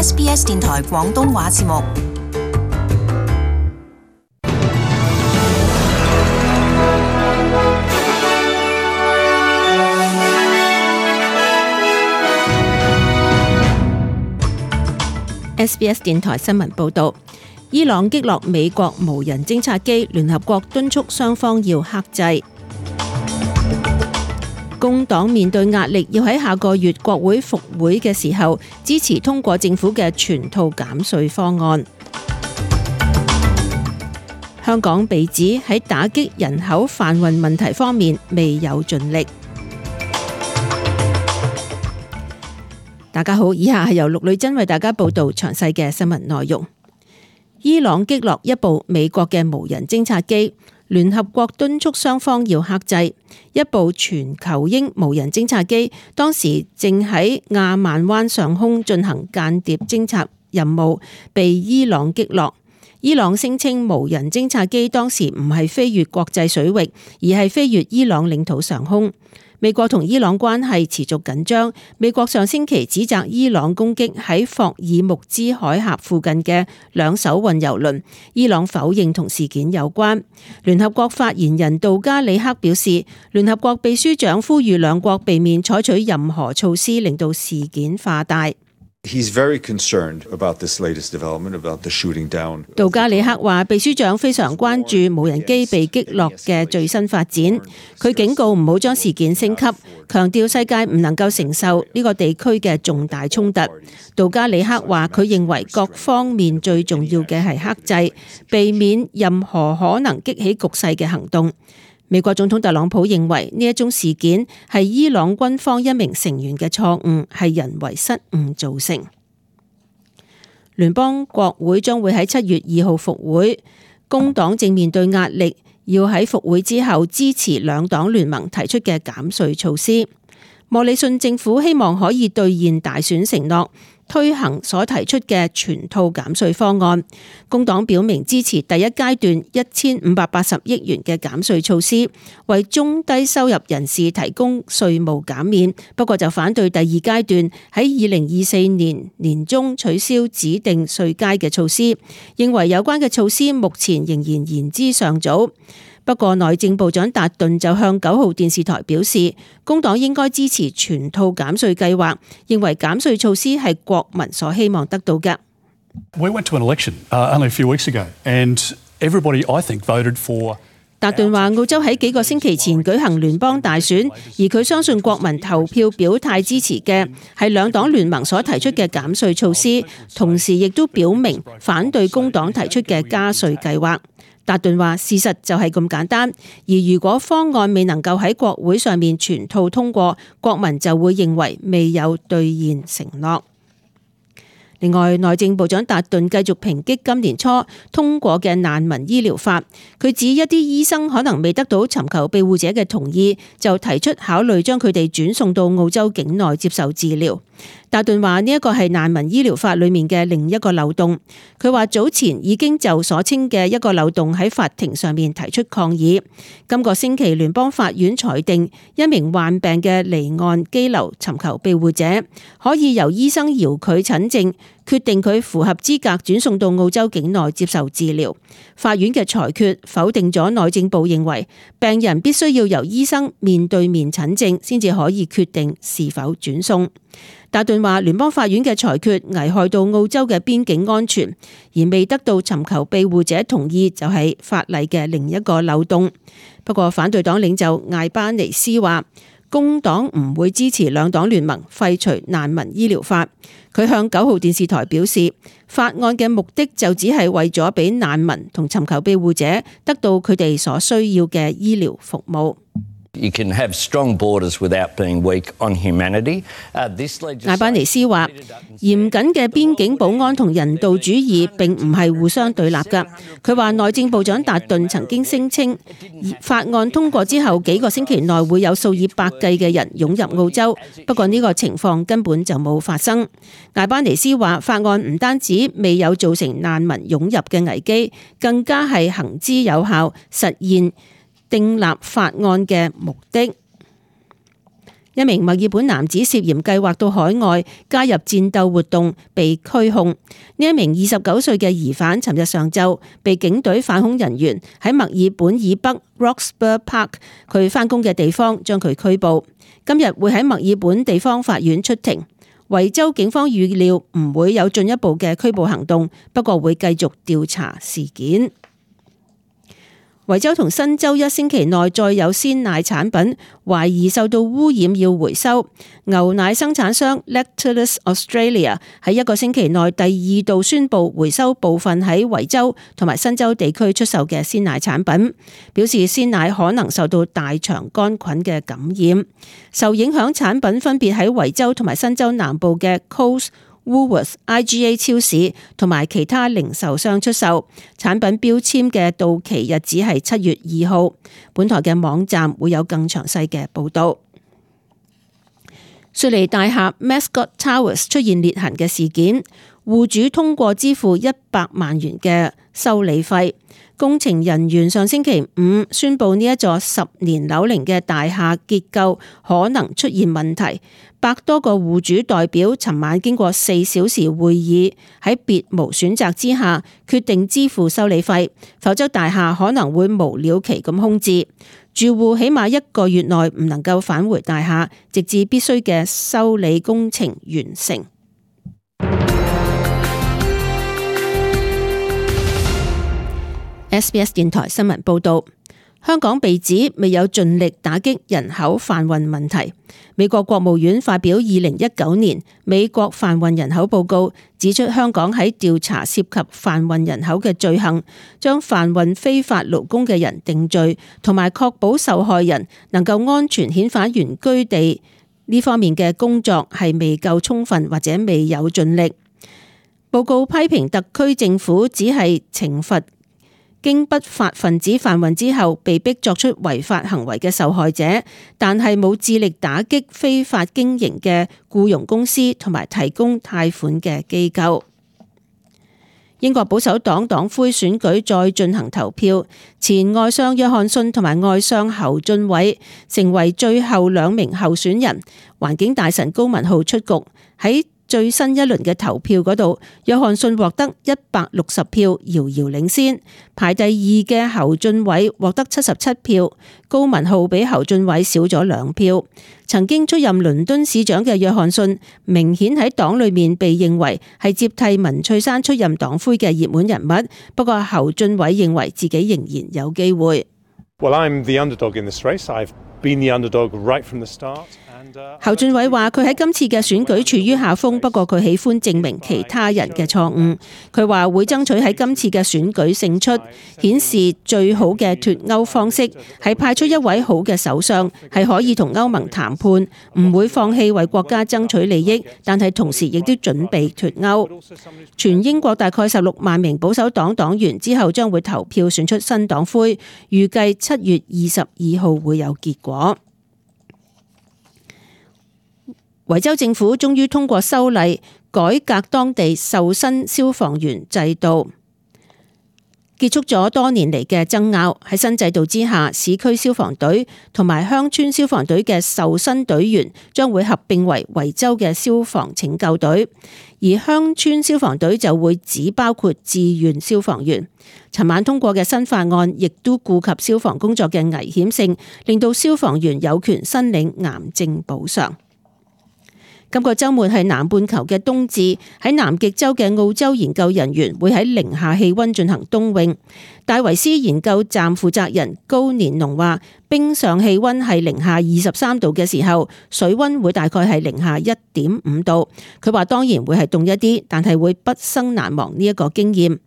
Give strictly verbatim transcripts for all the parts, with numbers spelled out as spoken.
S B S 電台廣東話節目。S B S 電台新聞報道，伊朗擊落美國無人偵察機，聯合國敦促雙方要克制。工黨面對壓力，要喺下個月國會復會嘅時候支持通過政府嘅全套減稅方案。香港被指喺打擊人口販運問題方面未有盡力。大家好，以下係由陸女真為大家報道詳細嘅新聞內容。伊朗擊落一部美國嘅無人偵察機，聯合國敦促雙方要克制。一部全球鷹無人偵察機當時正喺亞曼灣上空進行間諜偵察任務，被伊朗擊落。伊朗聲稱無人偵察機當時唔係飛越國際水域，而係飛越伊朗領土上空。美國同伊朗關係持續緊張，美國上星期指責伊朗攻擊喺霍爾木茲海峽附近嘅兩艘運油輪，伊朗否認同事件有關。聯合國發言人杜加里克表示，聯合國秘書長呼籲兩國避免採取任何措施令到事件化大。He's very concerned about this latest development about the shooting down. 杜加里克話，秘書長非常關注無人機被擊落嘅最新發展。佢警告唔好將事件升級，強調世界唔能夠承受呢個地區嘅重大衝突。杜加里克話，佢認為各方面最重要嘅係克制，避免任何可能激起局勢嘅行動。美國總統特朗普認為呢一宗事件係伊朗軍方一名成員嘅錯誤，係人為失誤造成。聯邦國會將會喺七月二號復會，工黨正面對壓力，要喺復會之後支持兩黨聯盟提出嘅減稅措施。莫里遜政府希望可以兌現大選承諾，推行所提出嘅全套減稅方案。工黨表明支持第一階段一千五百八十億元嘅減稅措施，為中低收入人士提供稅務減免，不過就反對第二階段喺二零二四年年中取消指定稅階嘅措施，認為有關嘅措施目前仍然言之尚早。不過內政部長達頓就向九號電視台表示，工黨應該支持全套減稅計劃，認為減稅措施係國民所希望得到嘅。We went to an election, uh, only a few weeks ago, and everybody, I think, voted for. 達頓話，澳洲喺幾個星期前舉行聯邦大選，而佢相信國民投票表態支持嘅係兩黨聯盟所提出嘅減稅措施，同時亦都表明反對工黨提出嘅加稅計劃。達頓話，事實就係咁簡單，而如果方案未能夠喺國會上面全套通過，國民就會認為未有兌現承諾。另外，內政部長達頓繼續抨擊今年初通過嘅難民醫療法，佢指一啲醫生可能未得到尋求庇護者嘅同意，就提出考慮將佢哋轉送到澳洲境內接受治療。達頓話呢一個係難民醫療法裏面嘅另一個漏洞。佢話早前已經就所稱嘅一個漏洞喺法庭上面提出抗議。今個星期聯邦法院裁定，一名患病嘅離岸羈留尋求庇護者可以由醫生遙距診症決定佢符合資格轉送到澳洲境內接受治療。法院嘅裁決否定咗內政部認為病人必須要由醫生面對面診症先至可以決定是否轉送。達頓話聯邦法院嘅裁決危害到澳洲嘅邊境安全，而未得到尋求庇護者同意就係法例嘅另一個漏洞。不過反對黨領袖艾巴尼斯話，工黨唔會支持兩黨聯盟廢除難民醫療法。佢向九號電視台表示，法案嘅目的就只係為咗俾難民同尋求庇護者得到佢哋所需要嘅醫療服務。You can have strong borders without being weak on humanity. Uh, this legislation... 艾巴尼斯話，嚴謹嘅邊境保安同人道主義並唔係互相對立㗎。佢話內政部長達頓曾經聲稱，法案通過之後幾個星期內會有數以百計嘅人湧入澳洲，不過呢個情況根本就冇發生。艾巴尼斯話，法案唔單止未有造成難民湧入嘅危機，更加係行之有效，實現訂立法案嘅目的。一名墨爾本男子涉嫌計劃到海外加入戰鬥活動被拘控。呢一名二十九歲嘅疑犯，尋日上晝被警隊反恐人員喺墨爾本以北 Roxburgh Park 佢返工嘅地方將佢拘捕。今日會喺墨爾本地方法院出庭。維州警方預料唔會有進一步嘅拘捕行動，不過會繼續調查事件。維州同新州一星期內再有鮮奶產品懷疑受到污染要回收。牛奶生產商 Lactalis Australia 喺一個星期內第二度宣布回收部分喺維州同埋新州地區出售嘅鮮奶產品，表示鮮奶可能受到大腸桿菌嘅感染。受影響產品分別喺維州同埋新州南部嘅 Coles、Woolworths、I G A 超市同埋其他零售商出售。產品標籤嘅到期日子係七月二號。本台嘅網站會有更詳細嘅報道。雪梨大廈 Mascot Towers 出現裂痕嘅事件，戶主通過支付一百萬元嘅修理費。工程人員上星期五宣布呢一座十年樓齡嘅大廈結構可能出現問題。百多個戶主代表尋晚經過四小時會議，喺別無選擇之下決定支付修理費，否則大廈可能會無了期咁空置。住戶起碼一個月內唔能夠返回大廈，直至必須嘅修理工程完成。S B S 電台新聞報道，香港被指未有盡力打擊人口販運問題。美國國務院發表二零一九年美國販運人口報告，指出香港喺調查涉及販運人口嘅罪行，將販運非法勞工嘅人定罪，同埋確保受害人能夠安全遣返原居地呢方面嘅工作係未夠充分或者未有盡力。報告批評特區政府只係懲罰經不法分子販運之後被逼作出違法行為嘅受害者，但係冇致力打擊非法經營嘅僱傭公司同埋提供貸款嘅機構。英國保守黨黨魁選舉再進行投票，前外相約翰遜同埋外相侯俊偉成為最後兩名候選人。環境大臣高文浩出局。喺最新一輪嘅投票嗰度，約翰遜獲得一百六十票，遙遙領先。排第二嘅侯俊偉獲得七十七票，高文浩比侯俊偉少咗兩票。曾經出任倫敦市長嘅約翰遜，明顯喺黨裏面被認為係接替文翠珊出任黨魁嘅熱門人物。不過侯俊偉認為自己仍然有機會。Well, I'm the underdog in this race. I've been the underdog right from the start. 侯俊偉話佢喺今次嘅選舉處於下風，不過佢喜歡證明其他人嘅錯誤。佢話會爭取喺今次嘅選舉勝出，顯示最好嘅脫歐方式係派出一位好嘅首相，係可以同歐盟談判，唔會放棄為國家爭取利益，但係同時亦都準備脫歐。全英國大概十六萬名保守黨黨員之後將會投票選出新黨魁，預計七月二十二號會有結果。維州政府終於通過修例，改革當地受薪消防員制度，結束咗多年嚟嘅爭拗。喺新制度之下，市區消防隊同埋鄉村消防隊嘅受薪隊員將會合併為維州嘅消防拯救隊，而鄉村消防隊就會只包括志願消防員。尋晚通過嘅新法案亦都顧及消防工作嘅危險性，令到消防員有權申領癌症補償。今個週末係南半球嘅冬至，喺南極洲嘅澳洲研究人員會喺零下氣溫進行冬泳。戴維斯研究站負責人高年龍話，冰上氣溫係零下二十三度嘅時候，水溫會大概係零下一點五度。佢話當然會係凍一啲，但係會畢生難忘呢一個經驗。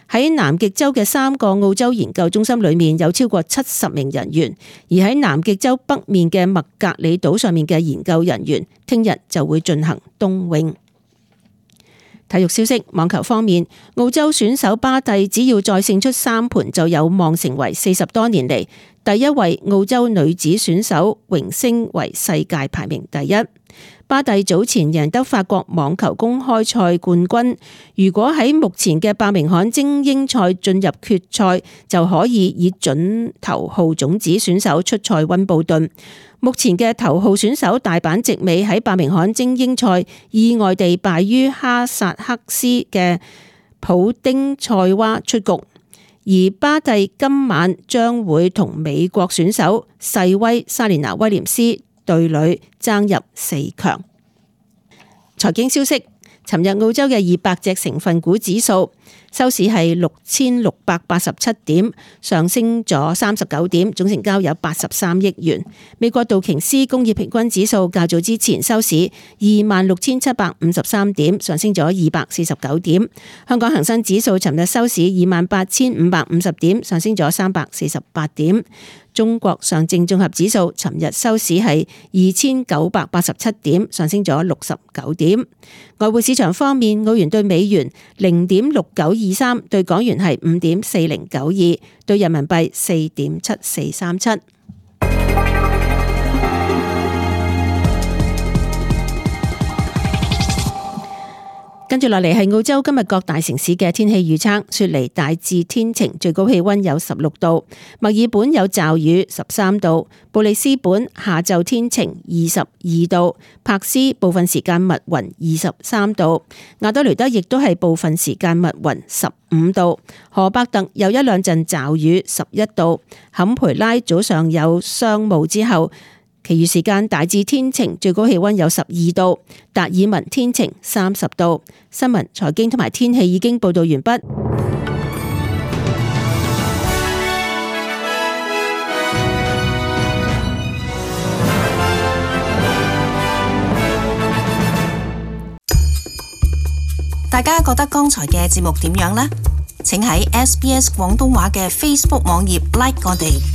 喺南極洲嘅三個澳洲研究中心裏面有超過七十名人員，而喺南極洲北面嘅麥格里島上面嘅研究人員，聽日就會進行冬泳。體育消息，網球方面，澳洲選手巴蒂只要再勝出三盤，就有望成為四十多年嚟第一位澳洲女子選手榮升為世界排名第一。巴蒂早前贏得法國網球公開賽冠軍，如果喺目前嘅伯明翰精英賽進入決賽，就可以以準頭號種子選手出賽溫布頓。目前嘅頭號選手大阪直美喺伯明翰精英賽意外地敗於哈薩克斯嘅普丁塞娃出局，而巴蒂今晚將會同美國選手細威莎蓮娜威廉斯對壘爭入四強。財經消息，尋日澳洲嘅二百隻成分股指數收市係六千六百八十七點，上升咗三十九點，總成交有八十三億元。美國道瓊斯工業平均指數較早之前收市二萬六千七百五十三點，上升咗二百四十九點。香港恒生指數尋日收市二萬八千五百五十點，上升咗三百四十八點。中國上證綜合指數尋日收市係二千九百八十七點，上升咗六十九點。外匯市場方面，澳元對美元零點六九二三，對港元係五點四零九二，對人民幣四點七四三七。跟住落嚟係澳洲今日各大城市嘅天氣預測。雪梨大致天晴，最高氣溫有十六度；墨爾本有驟雨，十三度；布里斯本下晝天晴，二十二度；柏斯部分時間密雲，二十三度；亞德雷德亦都係部分時間密雲，十五度；荷伯特有一兩陣驟雨，十一度；坎培拉早上有霜霧之後，其餘時間大致天晴，最高氣溫有十二度；達爾文天晴，三十度。新聞、財經同埋天氣已經報道完畢。大家覺得剛才嘅節目點樣呢？請喺 S B S 廣東話嘅 Facebook 網頁 like 我哋。